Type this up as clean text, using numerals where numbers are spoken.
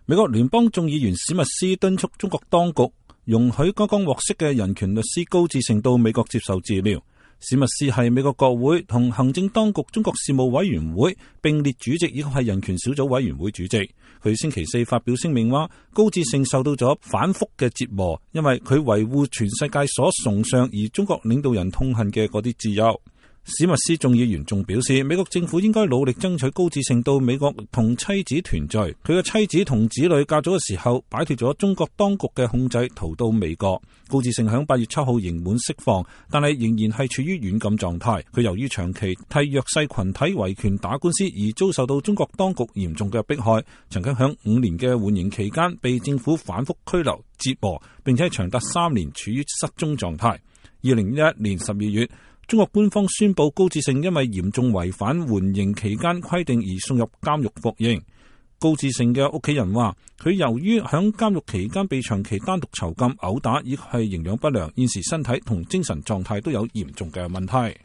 美國聯邦眾議員史密斯敦促中國當局容許剛剛獲釋嘅人權律師高志勝到美國接受治療。史密斯係美國國會同行政當局中國事務委員會並列主席，以及係人權小組委員會主席。佢星期四發表聲明話，高志勝受到咗反覆嘅折磨，因為佢維護全世界所崇尚而中國領導人痛恨嘅嗰啲自由。史密斯眾議員仲表示，美國政府應該努力爭取高志勝到美國同妻子團聚。佢嘅妻子同子女嫁咗嘅時候，擺脫咗中國當局嘅控制，逃到美國。高志勝響8月7號刑滿釋放，但係仍然係處於軟禁狀態。佢由於長期替弱勢群體維權打官司而遭受到中國當局嚴重嘅迫害，曾經響5年嘅緩刑期間被政府反覆拘留折磨，並且長達3年處於失蹤狀態。2011年12月，中國官方宣布高志勝因為嚴重違反緩刑期間規定而送入監獄服刑。高志勝嘅屋企人話，佢由於響監獄期間被長期單獨囚禁、毆打，亦係營養不良，現時身體同精神狀態都有嚴重嘅問題。